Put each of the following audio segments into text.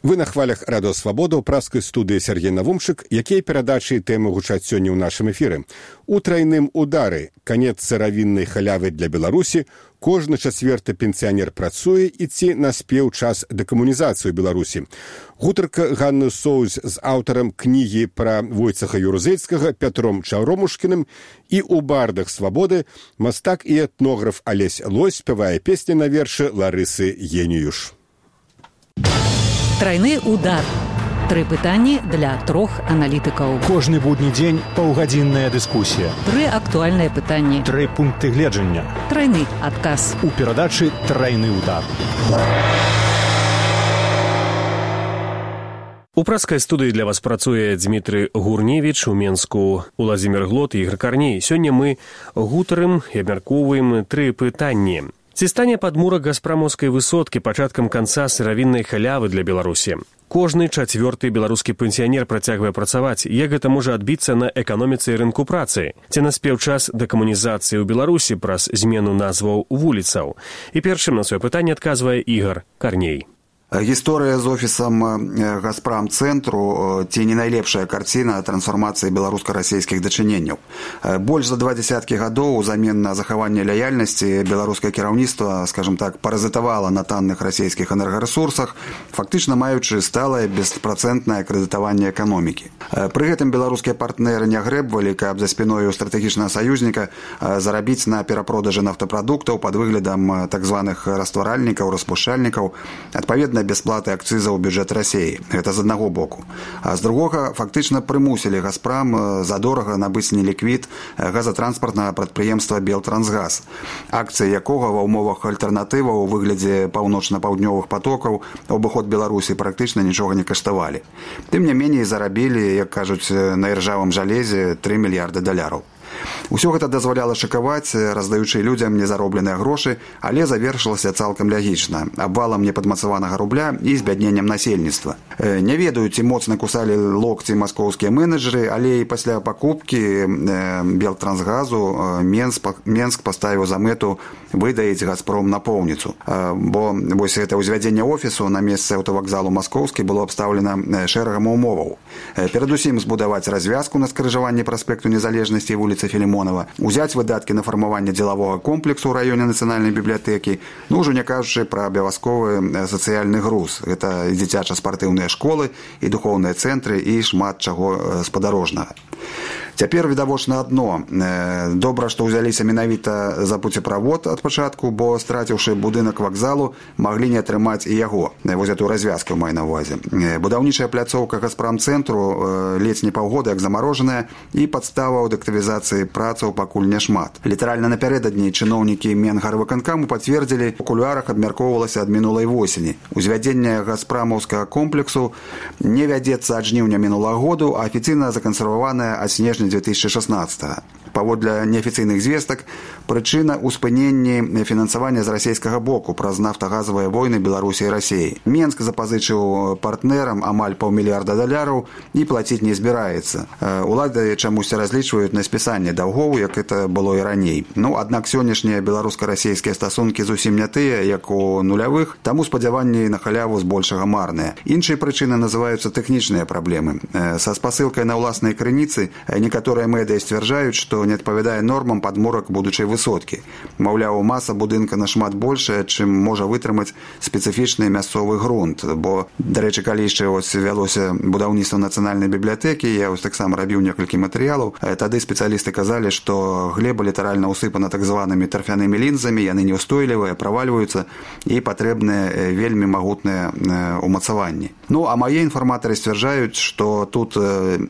Вы на хвалях Радио Свабода ў праскай студыі Сергей Навумчык, якія перадачы і тэмы гучаць сёння ў нашым эфіры. У трайным удары канец сыравіннай халявы для Беларусі, кожны чацвёрты пенсіянер працуе і ці наспеў час дэкамунізацыі Беларусі. Гутарка Ганны Соўз з аўтарам кнігі пра Войцаха Юрузельскага Пятром Чаўромушкіным і ў бардах Свабоды мастак і этнограф Алесь Лось спявае песні на вершы Ларысы Геніюш. Трайны удар. 3 пытанні для 3 аналітыкаў. Кожны будні дзень паўгадзінная дыскусія. 3 актуальныя пытанні. 3 пункты гледжання. Трайны адказ. У перадачы «Трайны удар». У праскай студыі для вас працуе Дмітрый Гурневіч, у Менску Уладзімір Глот і Ігор Карней. Сёння мы гутарым і абмяркоўваем 3 пытанні. Ці стане падмурак газпрамаўскай высоткі пачаткам канца сыравіннай халявы для Беларусі? Кожны чацвёрты беларускі пенсіянер працягвае працаваць. Як гэта можа адбіцца на эканоміцы і рынку працы? Ці наспеў час дэкамунізацыі ў Беларусі праз змену назваў вуліцаў? І першым на сваё пытанне адказвае Ігор Карней. Гісторыя з офісам Газпрамцэнтру ці не найлепшая карціна трансфармацыі беларуска-расійскіх дачыненняў. Больш за 2 дзесяткі гадоў узамен на захаванне лаяльнасці беларускае кіраўніцтва, скажем так, паразітавала на танных расійскіх энергарэсурсах, фактычна маючы сталае беспрацэнтнае крэдытаванне эканомікі. Пры гэтым беларускія партнеры не грэбвалі, каб за спіной у стратэгічнага саюзніка зарабіць на перапродажы нафтапрадуктаў пад выглядам так званых растваральнікаў, распушчальнікаў, адпаведна бясплаты акцыза ў бюджэт Расіі. Гэта з аднаго боку. А з другога, фактычна прымусілі Газпрам задорага набыць неліквід газатранспартнага прадпрыемства «Белтрансгаз», акцыі якога ва ўмовах альтэрнатываў у выглядзе паўночна-паўднёвых патокаў у абыход Беларусі практычна нічога не каштавалі. Тым не меней зарабілі, як кажуць, на іржавым жалезе $3 мільярды. Усё гэта дазваляла шакаваць, раздаючы людзям незаробленыя грошы, але завершылася цалкам лягічна, абвалам непадмацаванага рубля і збядненнем насельніцтва. Не ведаю, ці моцна кусалі локці маскоўскія менеджеры, але і пасля пакупкі Белтрансгазу Менск паставіў за мэту выдаіць Газпром напоўніцу. Бо вось гэта ўзвядзенне офісу на месцы аўтавакзалу Маскоўскі было абстаўлена шэрагам умоваў. Перадусім збудаваць развязку на скрыжаванні праспекту Незалежнасці і вуліцы Філімонова, узяць выдаткі на фармаванне дзелавога комплексу ў раёне нацыянальнай бібліятэкі, ўжо не кажучы пра абавязковы сацыяльны груз. Гэта і дзіцяча-спартыўныя школы, і духоўныя цэнтры, і шмат чаго спадарожнага. Цяпер відавочна адно. Добра, што ўзяліся менавіта за пуцеправод ад пачатку, бо, страціўшы будынак вакзалу, маглі не атрымаць і яго. Вось эту развязку маю на ўвазе. Будаўнічая пляцоўка Газпрамцэнтру ледзь не паўгода як замарожаная, і падставаў дактывізацыі працаў пакуль няшмат. Літаральна напярэдадні чыноўнікі Менгарвыканкаму пацвердзілі, у кулуарах абмяркоўвалася ад мінулай восені. Узвядзенне газпрамаўскага комплексу не вядзецца ад жніўня мінулага году, а афіцыйна закансерваванае ад снежня 2016. Паводле неафіцыйных звестак, прычына ў спыненні фінансавання з расійскага боку праз нафтагазавыя войны Беларусі і Расіі. Менск запазычыў партнерам амаль $500 мільярда і плаціць не збіраецца. Улады чамусьці разлічваюць на спісанне даўгоў, як это было і раней. Аднак сённяшнія беларуска-расійскія стасункі зусім не тыя, як у нулявых, таму спадзяванні на халяву збольшага марныя. Іншыя прычыны называюцца тэхнічныя праблемы. Са спасылкай на ўласнай крыніцы некаторыя медыа сцвярджаюць, што не адпавядае нормам падмурак будучай высоткі. Маўляў, маса будынка нашмат большая, чым можа вытрымаць спецыфічны мясцовы грунт. Бо, дарэчы, калі яшчэ вялося будаўніцтва нацыянальнай бібліятэкі, я таксама рабіў некалькі матэрыялаў, тады спецыялісты казалі, што глеба літаральна ўсыпана так званымі тарфянымі лінзамі, яны неўстойлівыя, правальваюцца і патрэбныя вельмі магутныя умацаванні. А мае інфарматары сцвярджаюць, што тут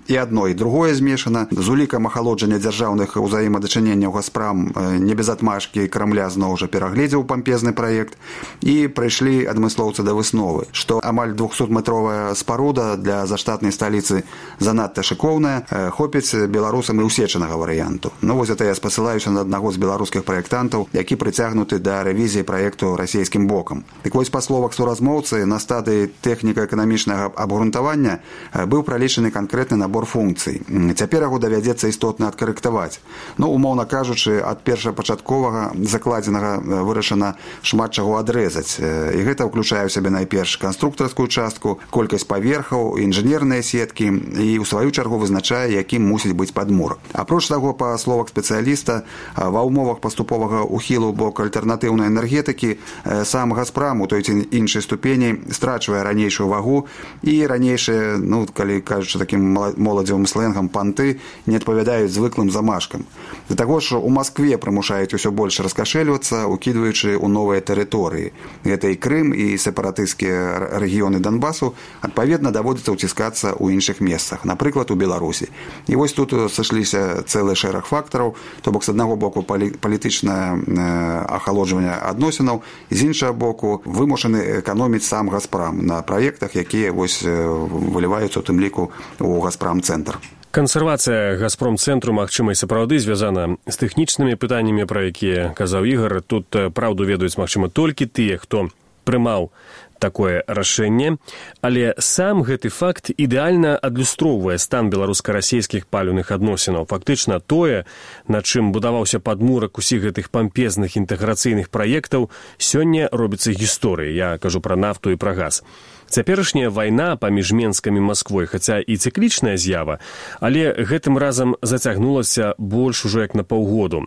і адно, і другое змешана. З улікам ахалоджання дзяржаўных узаемадачыненняў Газпрам не без адмашкі Крамля зноў жа перагледзеў пампезны праект, і прыйшлі адмыслоўцы да высновы, што амаль 200-метровая спаруда для заштатнай сталіцы занадта шыкоўная, хопіць беларусам і ўсечанага варыянту. Вось это я спасылаюся на аднаго з беларускіх праектантаў, які прыцягнуты да рэвізіі праекту расійскім бокам. Так вось, па словах суразмоўцы, на стадыі тэхніка-эканамічнага абгрунтавання быў пралічаны канкрэтны набор функцый. Цяпер яго давядзецца істотна адкарэктаваць. працаваць. Умоўна кажучы, ад першапачатковага закладзенага вырашана шмат чаго адрэзаць. І гэта ўключае ў сябе найперш канструктарскую частку, колькасць паверхаў, інжынерныя сеткі і ў сваю чаргу вызначае, якім мусіць быць падмурак. Апроч таго, па словах спецыяліста, ва ўмовах паступовага ухілу ў бок альтэрнатыўнай энергетыкі сам «Газпрам» у той ці іншай ступені страчвае ранейшую вагу і ранейшыя, калі кажучы такім моладзевым сленгам, панты не адпавядаюць звыклым замашкам. Да таго ж у Маскве прымушаюць усё больш раскашэльвацца, укідваючы ў новыя тэрыторыі. Гэта і Крым, і сепаратысцкія рэгіёны Донбасу, адпаведна даводзіцца ўціскацца ў іншых месцах, напрыклад, у Беларусі. І вось тут сышліся цэлы шэраг фактараў, то бок з аднаго боку палітычнае ахалоджванне адносінаў, з іншага боку вымушаны эканоміць сам «Газпрам» на праектах, якія вось выліваюцца у тым ліку у «Газпрам-цэнтр». Кансервацыя «Газпромцэнтру», магчыма, і сапраўды звязана з тэхнічнымі пытаннямі, пра якія казаў Ігар. Тут праўду ведаюць, магчыма, толькі тыя, хто прымаў такое рашэнне, але сам гэты факт ідэальна адлюстроўвае стан беларуска-расейскіх паліўных адносінаў. Фактычна тое, на чым будаваўся падмурак усіх гэтых пампезных інтэграцыйных праектаў, сёння робіцца гісторыяй. Я кажу пра нафту і пра газ. Цяперашняя вайна паміж Менскам і Масквой, хаця і цыклічная з'ява, але гэтым разам зацягнулася больш ужо як на паўгоду.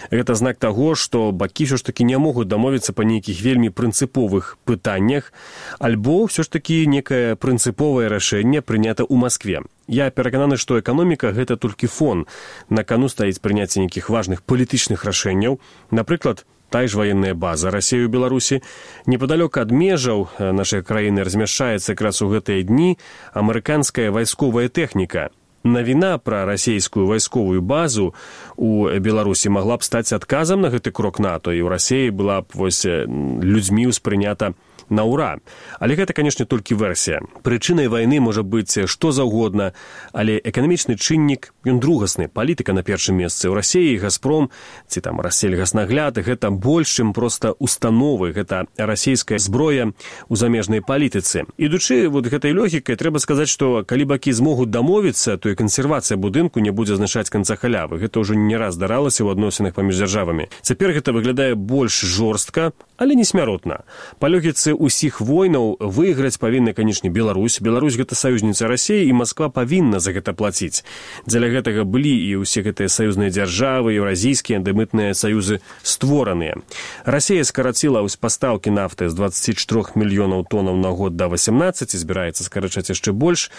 Гэта знак таго, што бакі ўсё ж такі не могуць дамовіцца па нейкіх вельмі прынцыповых пытаннях, альбо ўсё ж такі некае прынцыповае рашэнне прынята ў Маскве. Я перакананы, што эканоміка – гэта толькі фон. На кану стаіць прыняцце нейкіх важных палітычных рашэнняў, напрыклад, тая ж военная база России ў Беларусі. Непадалёк ад межаў нашай краіны размяшчаецца якраз у гэтыя дні амерыканская вайсковая тэхніка. Навіна пра расійскую вайсковую базу у Беларусі магла б стаць адказам на гэты крок НАТО, і ў Расіі была б людзьмі ўспрынята на ура. Але гэта, канешне, толькі версія. Прычынай вайны можа быць што заўгодна, але эканамічны чыннік, ён другасны. Палітыка на першым месцы. У Расіі «Газпром» ці там «Рассельгаснагляд» гэта больш, чым проста установы. Гэта расійская зброя у замежнай палітыцы. Ідучы гэтай логікай, трэба сказаць, што калі бакі змогуць дамовіцца, то і кансервацыя будынку не будзе азначаць канца халявы. Гэта ўжо не раз здаралася ў адносінах паміж дзяржавамі. Цяпер гэта выглядае больш жорстка, але не смяротна. Па логіцы усіх войнаў выйграць павінна, канешне, Беларусь. Беларусь – гэта саюзніца Расіі, і Масква павінна за гэта плаціць. Дзеля гэтага былі і ўсе гэтыя саюзныя дзяржавы, еўразійскія андэмытныя саюзы створаныя. Расія скараціла пастаўкі нафты з 24 мільёнаў тоннаў на год да 18, збіраецца скарачаць яшчэ больш.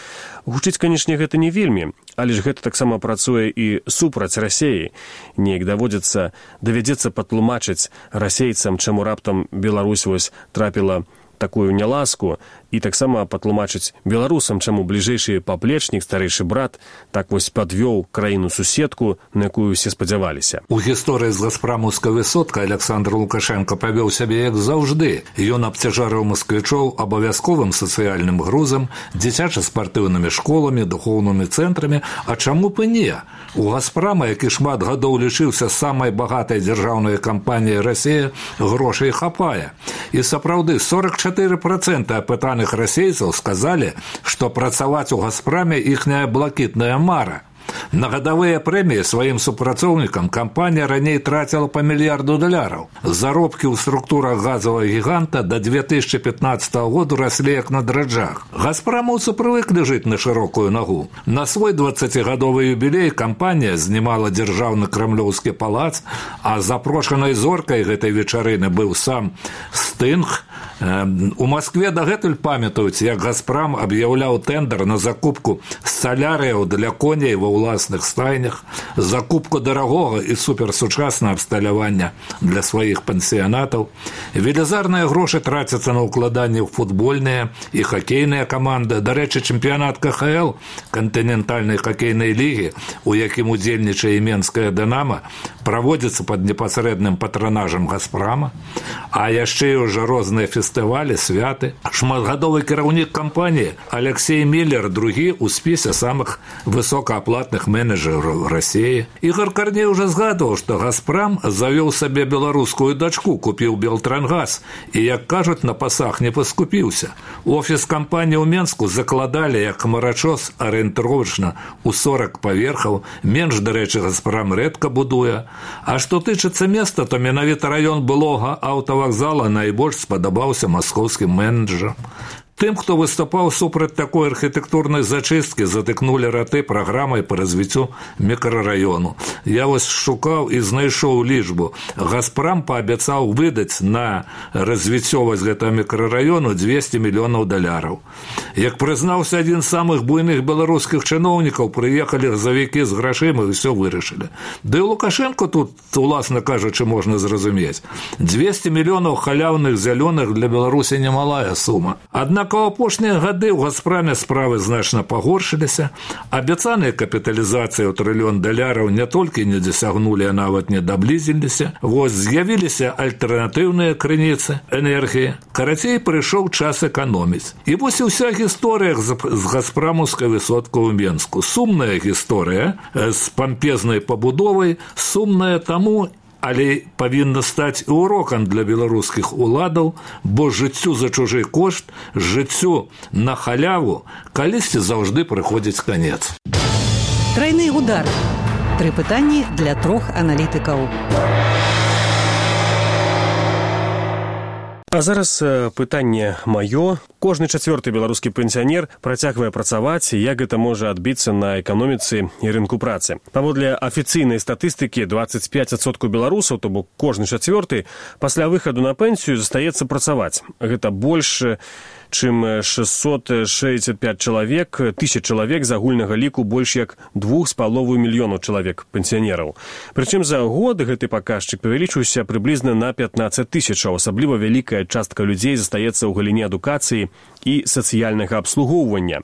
Гучыць, канешне, гэта не вельмі, але ж гэта таксама працуе і супраць Расіі. Неяк давядзецца патлумачыць расейцам, чаму раптам Беларусь трапіла такую няласку, і таксама патлумачыць беларусам, чаму бліжэйшы паплечнік, старэйшы брат, так падвёў краіну-суседку, на якую усе спадзяваліся. У гісторыі з «Газпрамаўскай высоткай» Александр Лукашенко павёў сябе як заўжды. Ён абцяжарыў масквічоў абавязковым сацыяльным грузам, дзіцяча-спартыўнымі школамі, духоўнымі цэнтрамі, а чаму б і не? У «Газпрама», які шмат гадоў лічыўся самай багатай дзяржаўнай кампаніяй Расіі, грошай хапае. І сапраўды 44% апытаных расейцаў сказалі, што працаваць у «Газпраме» іхняя блакітная мара. На гадавыя прэміі сваім супрацоўнікам кампанія раней траціла па $1 мільярд. Заробкі ў структурах газавага гіганта да 2015 году раслі як на драджах. Газпрамаўцы прывыклі жыць на шырокую нагу. На свой 20-гадовы юбілей кампанія знімала дзяржаўны крамлёўскі палац, а запрошанай зоркай гэтай вечарыны быў сам Стынг. У Маскве дагэтуль памятаюць, як «Газпрам» аб'яўляў тэндэр на закупку салярыяў для коней ва ўласных стайнях, закупку дарагога і суперсучаснага абсталявання для сваіх пансіянатаў. Велізарныя грошы трацяцца на ўкладанні ў футбольныя і хакейныя каманды. Дарэчы, чэмпіянат КХЛ, кантынентальнай хакейнай лігі, у якім удзельнічае Менская «Дынама», праводзіцца пад непасрэдным патранажам «Газпрама», а яшчэ і ўжо розныя фестывалі, святы. Шматгадовы кіраўнік кампаніі Алексей Миллер другі ў спісе самых высокааплатных менеджераў России. Ігор Карней уже згадываў, што «Газпром» завёў сабе беларускую дачку, купіў Белтрангаз і, як кажуць, на пасах не паскупіўся. Офіс кампаніі ў Менску закладалі як марачос арыентировачна ў 40 паверхаў, менш, дарэчы, «Газпром» рэдка будуе. А што тычыцца места, то менавіта раён былога аўтавакзала найбольш спадабаўся маскоўскім менеджерам. Тым, хто выступаў супраць такой архітэктурнай зачысткі, затыкнулі раты праграмай па развіццю мікрараёну. Я вось шукаў і знайшоў лічбу. «Газпром» паабяцаў выдаць на развіццё гэтага мікрараёну $200 мільёнаў. Як прызнаўся адзін з самых буйных беларускіх чыноўнікаў, прыехалі газавікі з грашыма і ўсё вырашылі. Да і Лукашенко тут, уласна кажучы, можна зразумець. 200 мільёнаў халяўных зялёных для Беларусі немалая сума. Аднак у апошнія гады ў «Газпроме» справы значна пагоршыліся. Абяцаныя капіталізацыі ў $1 трыльён не толькі не дасягнулі, а нават не даблізіліся. Вось з'явіліся альтэрнатыўныя крыніцы энергіі. Карацей, прыйшоў час эканоміць. І вось і ўся гісторыя з «Газпрамаўскай высоткай» у Менску. Сумная гісторыя з пампезнай пабудовай, сумная таму, але павінна стаць і урокам для беларускіх уладаў, бо жыццю за чужы кошт, жыццю на халяву калісьці заўжды прыходзіць канец. Трайны удар. 3 пытанні для 3 аналітыкаў. А зараз пытанне маё. Кожны 4-ы беларускі пенсіянер працягвае працаваць, як гэта можа адбіцца на эканоміцы і рынку працы. Паводле афіцыйнай статыстыкі 25% беларусаў, то бок кожны 4-ы, пасля выхаду на пенсію застаецца працаваць. Гэта больш чым 665 чалавек, тысяч чалавек з агульнага ліку больш як 2,5 мільёнаў чалавек пенсіянераў. Прычым за год гэты паказчык павялічыўся прыблізна на 15 тысячаў. Асабліва вялікая частка людзей застаецца ў галіне адукацыі і сацыяльнага абслугоўвання.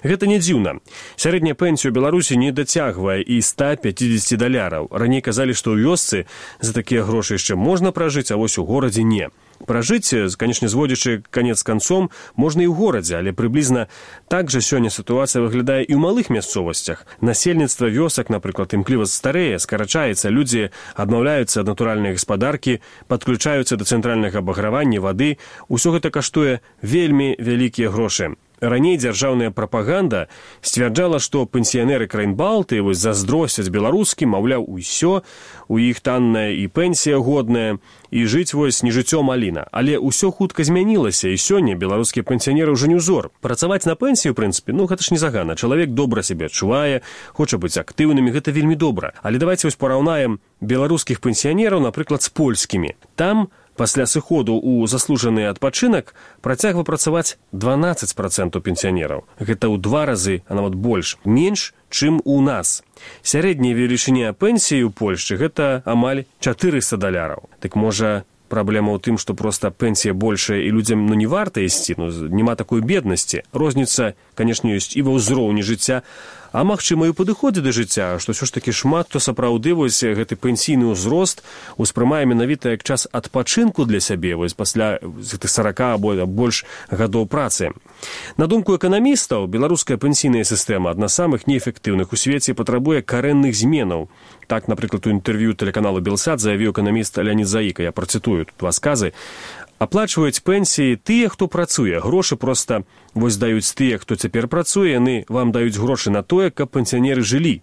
Гэта не дзіўна. Сярэдняя пенсія ў Беларусі не дацягвае і $150. Раней казалі, што ў вёсцы за такія грошы яшчэ можна пражыць, а вось у горадзе не. Пражыць, канечне, зводзячы канец канцом, можна і ў горадзе, але прыблізна так жа сёння сітуацыя выглядае і ў малых мясцовасцях. Насельніцтва вёсак, напрыклад, імкліва старэе, скарачаецца, людзі адмаўляюцца ад натуральнай гаспадаркі, падключаюцца да цэнтральнага абагравання, вады. Усё гэта каштуе вельмі вялікія грошы. Раней дзяржаўная прапаганда сцвярджала, што пенсіянеры краін Балтыі вось заздросцяць беларускім, маўляў, усё, у іх танная і пенсія годная, і жыць вось не жыццё маліна. Але ўсё хутка змянілася, і сёння беларускія пенсіянеры ўжо не ўзор. Працаваць на пенсію, у прынцыпе, гэта ж не загана. Чалавек добра сябе адчувае, хоча быць актыўнымі, гэта вельмі добра. Але давайце вось параўнаем беларускіх пенсіянераў, напрыклад, з польскімі. Там пасля сыходу ў заслужаны адпачынак працягва працаваць 12% пенсіянераў. Гэта ў 2 разы, а нават больш, менш, чым у нас. Сярэдняя велічыня пенсіі ў Польшчы гэта амаль $400. Так можа, праблема ў тым, што проста пенсія большая і людзям не варта ісці, няма такой беднасці. Розніца, канешне, ёсць і ва ўзроўні жыцця, а магчыма і ў падыходзе да жыцця, што ўсё ж такі шмат хто сапраўды вось гэты пенсійны ўзрост успрымае менавіта як час адпачынку для сябе вось пасля 40 або больш гадоў працы. На думку эканамістаў, беларуская пенсійная сістэма адна з самых неэфектыўных у свеце, патрабуе карэнных зменаў. Так, напрыклад, у інтэрв'ю тэлеканалу «Белсат» заявіў эканаміст Леонід Заіка, я працытую тут 2 сказы. Аплачваюць пенсіі тыя, хто працуе. Грошы проста вось даюць тыя, хто цяпер працуе, яны вам даюць грошы на тое, каб пенсіянеры жылі.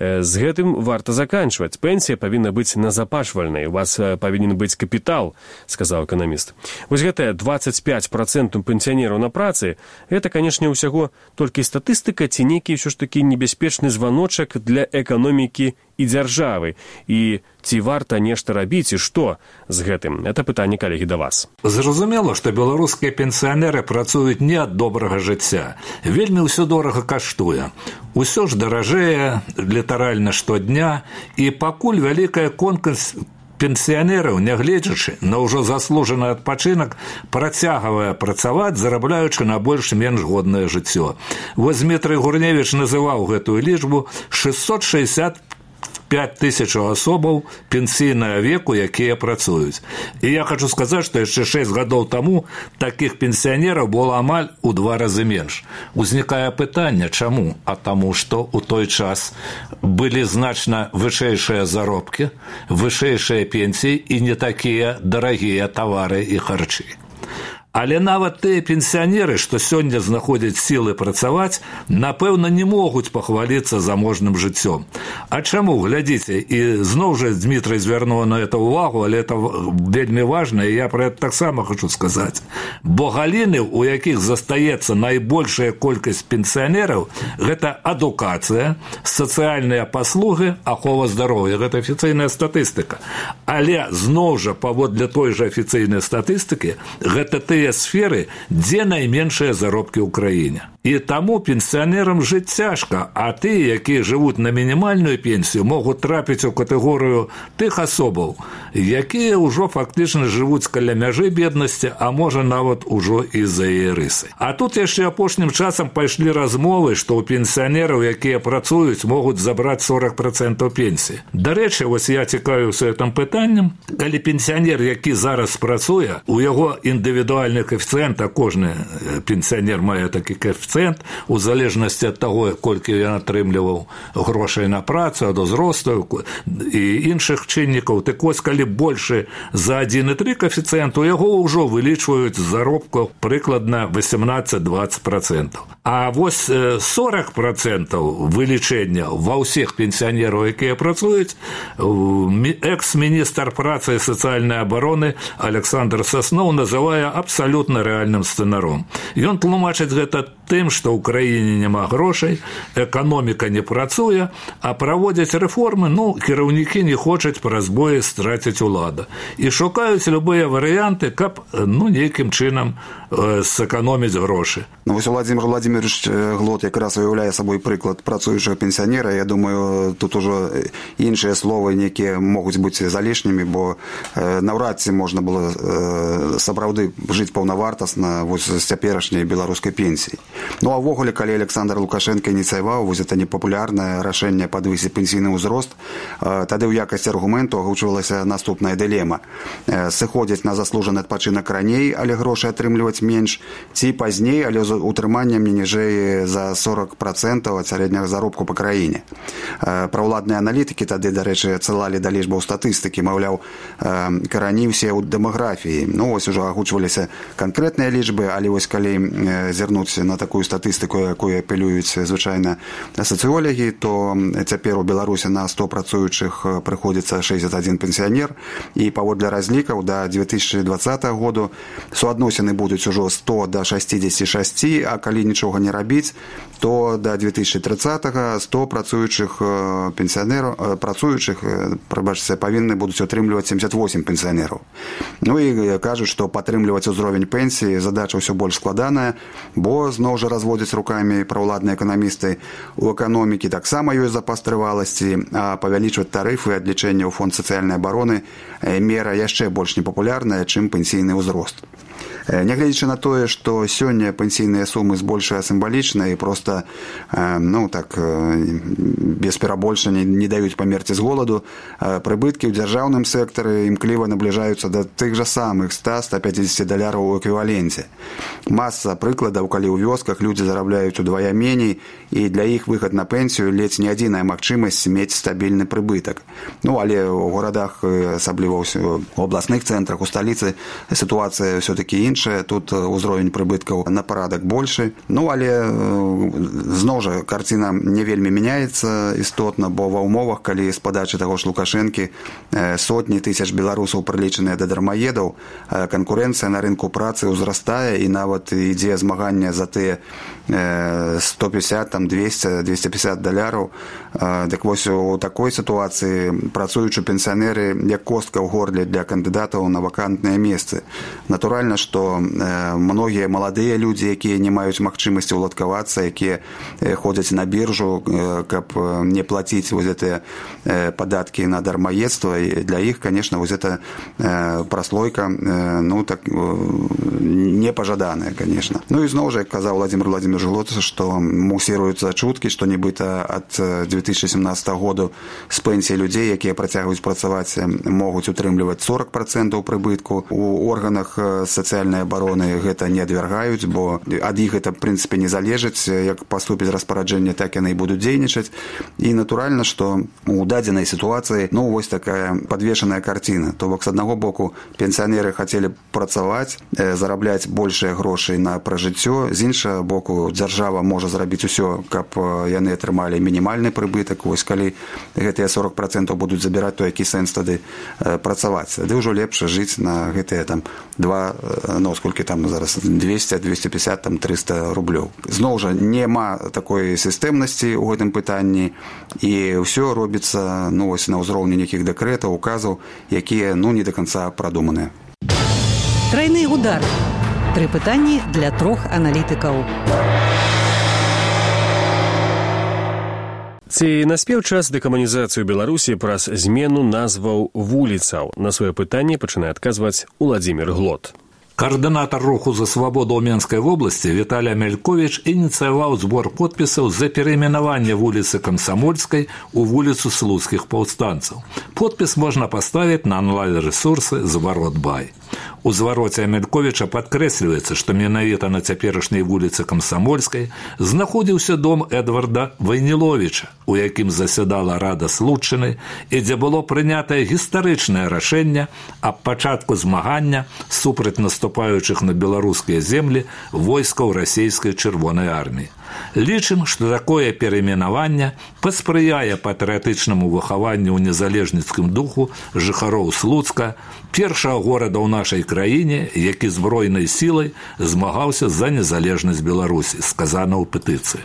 З гэтым варта заканчваць. Пенсія павінна быць назапашвальнай. У вас павінен быць капітал, сказаў эканаміст. Вось гэтая 25% пенсіянераў на працы, гэта, канешне, ўсяго толькі статыстыка ці нейкі ўсё ж такі небяспечны званочак для эканомікі і дзяржавы. І ці варта нешта рабіць і што з гэтым? Это пытанне, калегі, да вас. Зразумела, што беларускія пенсіянеры працуюць не ад добрага жыцця. Вельмі ўсё дорага каштуе. Усё ж даражэе літаральна штодня, і пакуль вялікая колькасць пенсіянераў, нягледзячы на ўжо заслужаны адпачынак, працягвае працаваць, зарабляючы на больш-менш годнае жыццё. Вось Дмітрый Гурневіч называў гэтую лічбу 665 5000 асобаў пенсійнага веку, якія працуюць. І я хочу сказаць, што яшчэ 6 гадоў таму такіх пенсіянераў было амаль у 2 разы менш. Узнікае пытанне, чаму? А таму, што ў той час былі значна вышэйшыя заробкі, вышэйшыя пенсіі і не такія дарагія тавары і харчы. Але нават тыя пенсіянеры, што сёння знаходзяць сілы працаваць, напэўна, не могуць пахваліцца заможным жыццём. А чаму? Глядзіце, і зноў жа Дмітрый звярнуў на это ўвагу, але это вельмі важна, і я пра гэта таксама хочу сказаць. Бо галіны, у якіх застаецца найбольшая колькасць пенсіянераў, гэта адукацыя, сацыяльныя паслугі, ахова здароўя. Гэта афіцыйная статыстыка. Але зноў жа, паводле той жа афіцыйнай статыстыкі, гэта тыя сферы, дзе найменшыя заробкі ў краіне. І таму пенсіянерам жыць цяжка, а тыя, якія жывуць на мінімальную пенсію, могуць трапіць у катэгорыю тых асобаў, якія ўжо фактычна жывуць каля мяжы беднасці, а можа нават ужо і за яе рысы. А тут яшчэ апошнім часам пайшлі размовы, што ў пенсіянераў, якія працуюць, могуць забраць 40% пенсіі. Дарэчы, вось я цікавіўся гэтым пытаннем, калі пенсіянер, які зараз працуе, у яго індывідуальны коэфіцыент, а кожны пенсіянер мае такі коэфіцыент, у залежнасці ад таго, колькі ён атрымліваў грошай на працу, ад узросту і іншых чыннікаў. Так вось, калі больше за 1,3 коэфіцыент, у яго ўжо вылічваюць заробку прыкладна 18-20%. А вось 40% вылічэння ва ўсіх пенсіянераў, якія працуюць, экс-міністр працы і сацыяльнай абароны Александр Сасноў называе абсалютна рэальным сцэнаром. Ён тлумачыць гэта тым, што ў краіне няма грошай, эканоміка не працуе, а праводзяць рэформы, кіраўнікі не хочуць праз бое страціць уладу. І шукаюць любыя варыянты, каб нейкім чынам сэканоміць грошы. Вось Владимир Владимирович Глот якраз уяўляе сабой прыклад працуючага пенсіянера. Я думаю, тут ужо іншыя словы некія могуць быць залішнімі, бо наўрад ці можна было сапраўды жыць паўнавартасна вось з цяперашняй беларускай пенсіі. А ввогуле, калі Александр Лукашенко ініцыяваў вось гэта непапулярнае рашэнне падвысіць пенсійны ўзрост, тады ў якасці аргументу агучвалася наступная дылема. Сыходзіць на заслужаны адпачынак раней, але грошы атрымліваць менш, ці пазней, але з утрыманнем не ніжэй за 40% ад сярэдняга заробку па краіне. Праўладныя аналітыкі тады, дарэчы, адсылалі да лічбаў статыстыкі, маўляў, карані ўсе ў дэмаграфіі. Вось ужо агучваліся канкрэтныя лічбы, але вось калі зірнуць на такую статыстыку, якую апелююць звычайна сацыёлагі, то цяпер у Беларусі на 100 працуючых прыходзіцца 61 пенсіянер, і паводле разлікаў да 2020 году суадносіны будуць ужо 100 да 66, а калі нічога не рабіць, то да 2030-го 100 працуючых пенсіянераў, павінны будуць атрымліваць 78 пенсіянераў. І кажуць, што падтрымліваць узровень пенсіі задача ўсё больш складаная, бо зноў жа разводзяць рукамі праўладныя эканамісты. У эканомікі таксама ёсць запас трываласці, а павялічваць тарыфы ад лічэння ў фонд сацыяльнай абароны мера яшчэ больш непапулярная, чым пенсійны ўзрост. Нягледзячы на тое, што сёння пенсійныя сумы збольшыя сімвалічна і проста без перабольшання не даюць памерці з голаду, прыбыткі ў дзяржаўным сектары імкліва набліжаюцца да тых жа самых $100-150 у эквіваленце. Маса прыкладаў, калі ў вёсках людзі зарабляюць удвая меней, і для іх выхад на пенсію ледзь не адзіная магчымасць мець стабільны прыбытак. Але ў горадах, асабліва ў абласных цэнтрах, у сталіцы сітуацыя ўсё-такі іншая, тут узровень прыбыткаў на парадак большы. Але зноў жа карціна не вельмі мяняецца істотна, бо ва ўмовах, калі з падачы таго ж Лукашэнкі сотні тысяч беларусаў прылічаныя да дармаедаў, канкурэнцыя на рынку працы ўзрастае, і нават ідзе змаганне за тыя 150, 200, $250. Так вось у такой сітуацыі працуючы пенсіянеры як костка ў горле для кандыдатаў на вакантныя месцы. Натуральна, што што многія маладыя людзі, якія не маюць магчымасці ўладкавацца, якія ходзяць на біржу, каб не плаціць вось гэтыя падаткі на дармаедства, для іх, конечно, вось эта праслойка, ну, так, непажаданая, конечно. Ну, і зноў жа, як казаў Владимир Владимирович Глот, што мусіруюцца чуткі, што нібыта ад 2017 году з пенсій людзей, якія працягваюць працаваць, могуць утрымліваць 40% прыбытку. У органах сацыяльнай абароны гэта не адвяргаюць, бо ад іх гэта, в прынцыпе, не залежыць, як паступіць распараджэнне, так яны і будуць дзейнічаць. І натуральна, што у дадзенай сітуацыі, ну, вось такая падвешаная карціна. То бок, з аднаго боку, пенсіянеры хацелі працаваць, зарабляць большыя грошай на пражыццё, з іншага боку, дзяржава можа зрабіць усё, каб яны атрымалі мінімальны прыбытак. Вось калі гэтыя 40% будуць забіраць, то які сэнс тады працаваць? Тады ўжо лепш жыць на гэтыя там 2, ну, сколькі там зараз, 200, 250, там 300 рублёў. Зноў жа, няма такой сістэмнасці ў гэтым пытанні, і ўсё робіцца, ну, вось на ўзроўні нейкіх дэкрэтаў, указаў, якія, ну, не до конца прадуманыя. Трайны удар. 3 пытанні для 3 аналітыкаў. Ці наспеў час дэкамунізацыю Беларусі праз змену назваў вуліцаў? На сваё пытанне пачынае адказваць Уладзімір Глот. Координатор руху за свободу Менской области Виталий Амелькович инициировал сбор подписов за переименование улицы Комсомольской у улицу Слуцких повстанцев. Подпись можно поставить на онлайн-ресурсы «Зворот.бай». У звароце Амельковича падкрэсліваецца, што менавіта на цяперашняй вуліцы Камсамольскай знаходзіўся дом Эдварда Вайніловіча, у якім засядала Рада Слуцчыны і дзе было прынятае гістарычнае рашэнне аб пачатку змагання супраць наступаючых на беларускія землі войскаў расійскай чырвонай арміі. Лічым, што такое перайменаванне паспрыяе патрыятычнаму выхаванню ў незалежніцкім духу жыхароў Слуцка, першага горада ў нашай краіне, які збройнай сілай змагаўся за незалежнасць Беларусі, сказана ў петыцыі.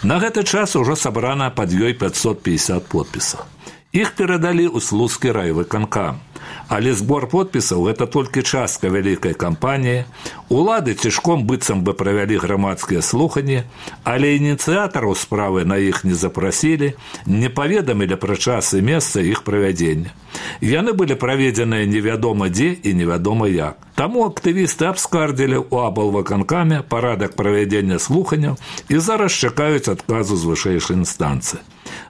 На гэты час ужо сабрана пад ёй 550 подпісаў. Іх перадалі ў Слуцкі райвыканкам. Але збор подпісаў – гэта толькі частка вялікай кампаніі. Улады цішком быццам бы правялі грамадскія слуханні, але ініцыятараў справы на іх не запрасілі, не паведамілі пра час і месца іх правядзення. Яны былі праведзеныя невядома дзе і невядома як. Таму актывісты абскардзілі ў аблвыканкаме парадак правядзення слуханняў і зараз чакаюць адказу з вышэйшай інстанцыі.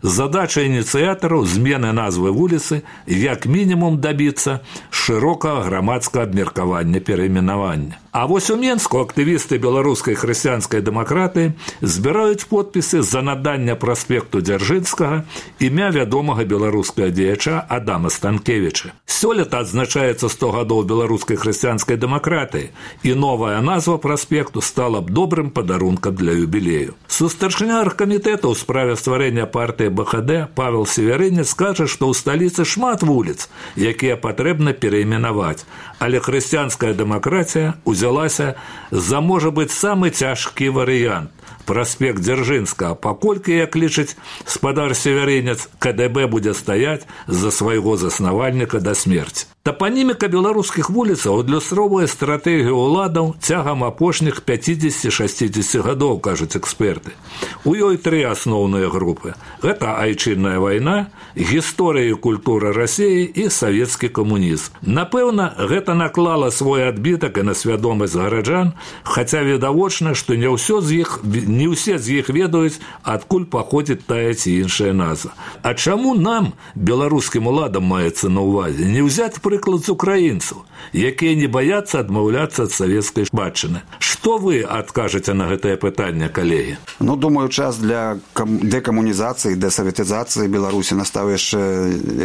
Задача ініцыятараў змены назвы вуліцы як мінімум дабіцца шырокага грамадскага абмеркавання перайменавання. А вось у Менску актывісты беларускай хрысціянскай дэмакратыі збіраюць подпісы за наданне праспекту Дзяржынскага імя вядомага беларускага дзеяча Адама Станкевіча. Сёлета адзначаецца 100 гадоў беларускай хрысціянскай дэмакратыі, і новая назва праспекту стала б добрым падарункам для юбілею. Сустарчня аргкамітэта ў справе стварэння партыі БХД Павел Северынец скажа, што ў сталіцы шмат вуліц, якія патрэбна перайменаваць, але хрысціянская дэмакратія узялася за, можа быць, самы цяжкі варыянт – праспект Дзяржынскага, паколькі, як лічыць спадар Северынец, КДБ будзе стаяць за свайго заснавальніка да смерці. Тапаніміка беларускіх вуліцаў адлюстроўвае стратэгію ўладаў цягам апошніх 50-60 гадоў, кажуць эксперты. У ёй 3 асноўныя групы. Гэта айчынная вайна, гісторыя і культура Расіі і савецкі камунізм. Напэўна, гэта наклала свой адбітак і на свядомасць гараджан, хаця відавочна, што не ўсе з іх ведаюць, адкуль паходзіць тая ці іншая назва. А чаму нам, беларускім уладам, маецца на ўвазе, не ўзяць прыклад з украінцаў, якія не баяцца адмаўляцца ад савецкай спадчыны? Што вы адкажаце на гэтае пытанне, калегі? Ну, думаю, час для дэкамунізацыі, дэсаветызацыі Беларусі настаў яшчэ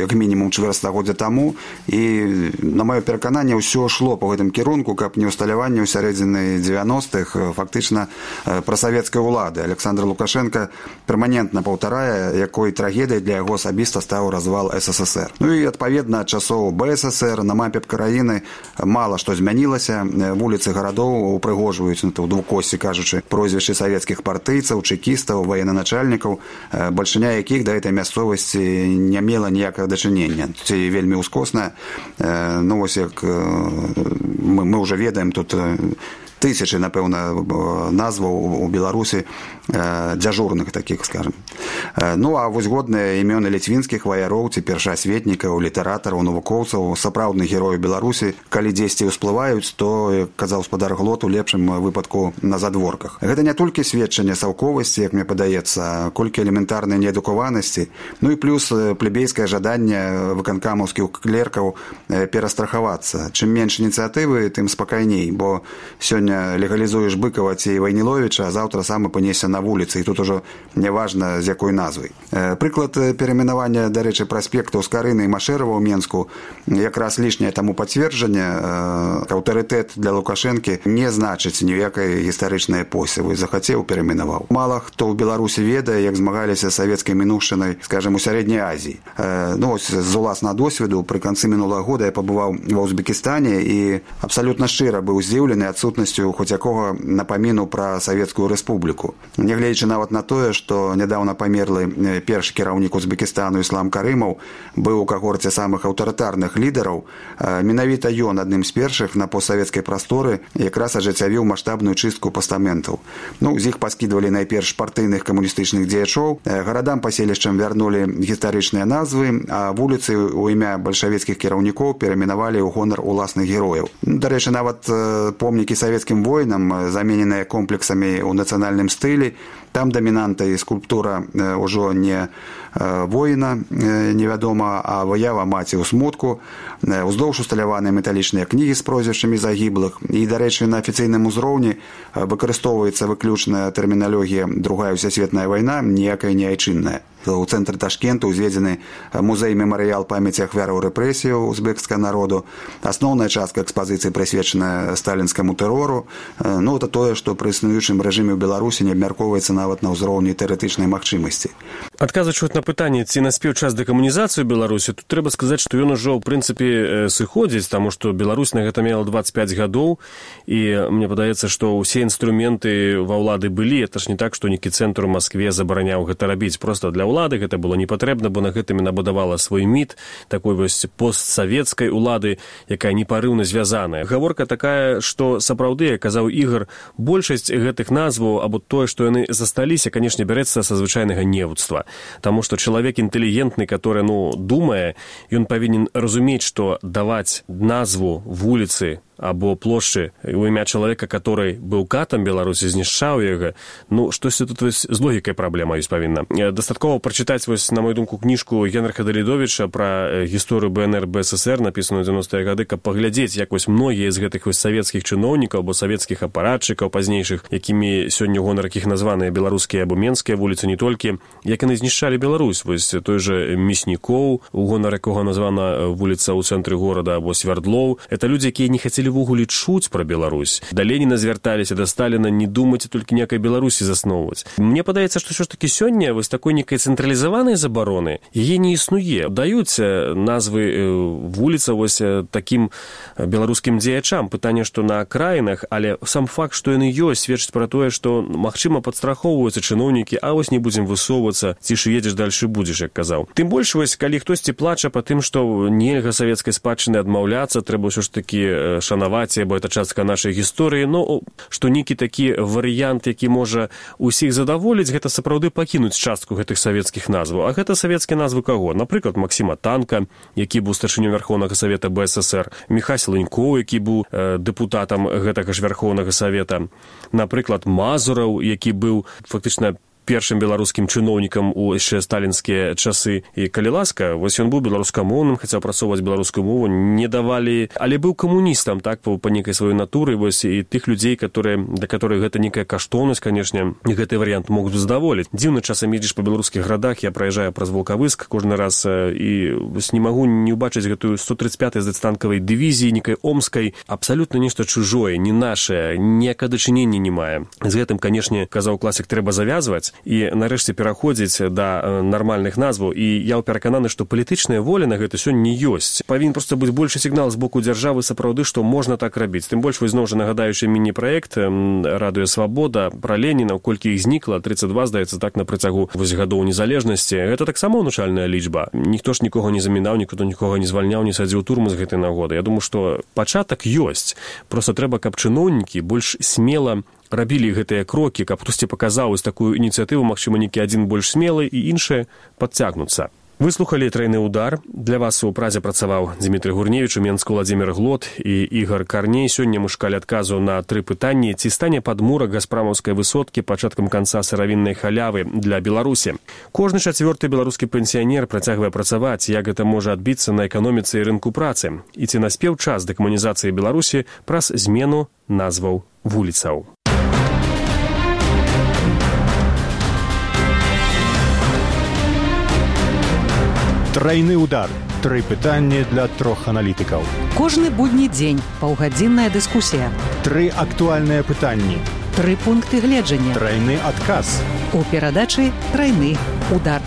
як мінімум чвэрцьстагоддзя таму, і на маё перакананне ўсё шло па гэтым кірунку, каб не ўсталяванне ў сярэдзіны 90-х фактычна прасавецкай улады. Александр Лукашенко перманентна паўтарае, якой трагедыяй для яго асабіста стаў развал СССР. Ну і адпаведна ад часоў часоў БССР на мапе краіны мала што змянілася. Вуліцы гарадоў упрыгожваюць, у двукосці кажучы, прозвішчы савецкіх партыйцаў, чэкістаў, военачальнікаў, бальшыня якіх да гэтай мясцовасці не мела ніякага дачынення. Ці вельмі ўскосна. Ну, вось як мы ўжо ведаем, тут тысячы, напэўна, назваў у Беларусі дзяжурных такіх, скажем. Ну, а вось годныя імёны ліцвінскіх ваяроў ці першаасветнікаў, літаратараў, навукоўцаў, сапраўдных герояў Беларусі, калі дзесьці ўсплываюць, то, як казаў спадар Глот, у лепшым выпадку на задворках. Гэта не толькі сведчанне саўковасці, як мне падаецца, колькі элементарнай неадукаванасці, ну і плюс плебейскае жаданне выканкамаўскіх клеркаў перастрахавацца. Чым менш ініцыятывы, тым спакайней, бо сёння легалізуеш Быкова ці Вайніловіча, а заўтра сам апынешся на вуліцы, і тут ужо няважна, з якой назвай. Прыклад перайменавання, дарэчы, праспектаў Скарыны і Машэрава ў Менску якраз лішняе таму пацверджанне. Аўтарытэт для Лукашэнкі не значыць ніякай гістарычнай эпохі. Захацеў, перайменаваў. Мала хто ў Беларусі ведае, як змагаліся савецкай мінуўшчынай, скажем, у Сярэдняй Азіі. Ну, ось з уласнага досведу пры канцы мінулага года я пабываў ва Узбекістане і абсалютна шчыра быў здзіўлены адсутнасцю хоць якога напаміну пра Савецкую Рэспубліку. Нягледзячы нават на тое, што нядаўна памерлы першы кіраўнік Узбекістану Іслам Карымаў быў у кагорце самых аўтарытарных лідараў, менавіта ён адным з першых на постсавецкай прасторы якраз ажыццявіў маштабную чыстку пастаментаў. Ну, з іх паскідвалі найперш партыйных камуністычных дзеячоў, гарадам паселішчам вярнулі гістарычныя назвы, а вуліцы ў імя бальшавіцкіх кіраўнікоў перайменавалі ў гонар уласных герояў. Дарэчы, нават помнікі савецкім воінам, замененыя комплексамі ў нацыянальным стылі, там дамінанта і скульптура ўжо не воіна, невядома, а выява маці ў смутку, уздоўж усталяваныя металічныя кнігі з прозвішчамі загіблых. І, дарэчы, на афіцыйным узроўні выкарыстоўваецца выключная тэрміналогія «Другая ўсесветная вайна», ніякая не айчынная. У цэнтры Ташкенту узведзены музей-мемарыял памяці ахвяраў рэпрэсіяў узбекскага народу. Асноўная частка экспазіцыі прысвечаная сталінскаму тэрору. Ну, это тое, што пры існуючым рэжыме ў Беларусі не абмяркоўваецца нават на ўзроўні тэарэтычнай магчымасці. Адказваючы на пытанне, ці наспеў час дэкамунізацыі ў Беларусі, тут трэба сказаць, што ён ужо, ў прынцыпе, сыходзіць, таму што Беларусь на гэта мела 25 гадоў, і мне падаецца, што ўсе інструменты ва ўлады былі. Это ж не так, што нейкі цэнтр у Маскве забараняў гэта рабіць. Проста для ўлады гэта было не патрэбна, бо на гэтым набудавала свой міт такой вось постсавецкай улады, якая непарыўна звязаная. Гаворка такая, што сапраўды, як казаў Ігар, большасць гэтых назваў або тое, што яны засталіся, канешне, бярэцца са звычайнага невуцтва. Таму што чалавек інтэлігентны, который, думае, ён павінен разумець, што даваць назву вуліцы або плошчы у імя чалавека, который быў катам Беларусі, знішчаў яго, штосьці тут з логікай праблема ёсць павінна. Дастаткова прачытаць, на мою думку, кніжку Генрыха Далідовіча пра гісторыю БНР, БССР, напісаную ў 90-е гады, каб паглядзець, як многія з гэтых савецкіх чыноўнікаў або савецкіх апаратчыкаў пазнейшых, якімі сёння гонар якіх названыя беларускія або менскія вуліцы, не толькі, як яны знішчалі Беларусь. Той же Мяснікоў, у гонар якога названа вуліца ў цэнтры горада, або Свярдлоў. Это людзі, якія не хацелі ввогуле чуць пра Беларусь. Да Леніна звярталіся, да Сталіна, не думайце толькі некай Беларусі засноўваць. Мне падаецца, што ўсё ж такі сёння такой некай цэнтралізаванай забароны яе не існуе. Даюць назвы вуліца такім беларускім дзеячам. Пытанне, што на акраінах, але сам факт, што яны ёсць, сведчыць пра тое, што, магчыма, падстрахоўваюцца чыноўнікі, а не будзем высоўвацца, ці ж едзеш дальше будзеш, як казаў. Тым больш, калі хтосьці плача па тым, што нельга савецкай спадчыны адмаўляцца, трэба ўсё ж такі шанаваць, бо это частка нашай гісторыі, што нейкі такі варыянт, які можа усіх задаволіць, гэта сапраўды пакінуць частку гэтых савецкіх назваў. А гэта савецкія назвы каго? Напрыклад, Максіма Танка, які быў старшынёй Вярхоўнага Савета БССР, Міхась Лынькоў, які быў дэпутатам гэтага ж Вярхоўнага Савета, напрыклад, Мазураў, які быў фактычна першым беларускім чыноўнікам у яшчэ сталінскія часы. І калі ласка, ён быў беларускамоўным, хацеў працоўваць беларускую мову, не давалі, але быў камуністам, так, па нейкай сваёй натуры, і тых людзей, для которых гэта нейкая каштоўнасць, канешне, гэты варыянт могуць задаволіць. Дзіўна часам едзеш па беларускіх гарадах, я праязджаю праз Волкавыск кожны раз, і не магу не ўбачыць гэтую 135-й танкавай дывізіі, нейкай омскай, абсалютна нешта чужое, не нашае, ніякага дачынення не мае. З гэтым, канешне, казаў класік, трэба завязваць. і нарэшце пераходзіць да нармальных назваў. І я перакананы, што палітычная воля на гэта сёння не ёсць. Павінен проста быць большы сігнал з боку дзяржавы сапраўды, што можна так рабіць. Тым больш, вось зноў жа нагадаючы міні-праект «Радыё Свабода» пра Леніна, колькі іх знікла, 32, здаецца, так, на працягу гадоў незалежнасці. Гэта таксама ўнушальная лічба. Ніхто ж нікога не замінаў, ніхто нікога не звальняў, не садзіў турму з гэтай нагоды. Я думаю, што пачатак ёсць. Проста трэба, каб чыноўнікі больш смела рабілі гэтыя крокі, каб хтосьці паказаў вось такую ініцыятыву, магчыма, нейкі адзін больш смелы і іншыя падцягнуцца. Выслухалі «Трайны удар». Для вас у празе працаваў Дмітрый Гурневіч, у Менску Уладзімір Глот і Ігар Карней. Сёння мы шукалі адказу на 3 пытанні. Ці стане падмурак Газпрамаўскай высоткі пачаткам канца сыравіннай халявы для Беларусі? Кожны 4-ты беларускі пенсіянер працягвае працаваць. Як гэта можа адбіцца на эканоміцы і рынку працы? І ці наспеў час дэкамунізацыі Беларусі праз змену назваў вуліцаў? Трайны удар. 3 пытанні для 3 аналітыкаў. Кожны будні дзень паўгадзінная дыскусія. 3 актуальныя пытанні. 3 пункты гледжання. Трайны адказ. У перадачы «Трайны удар».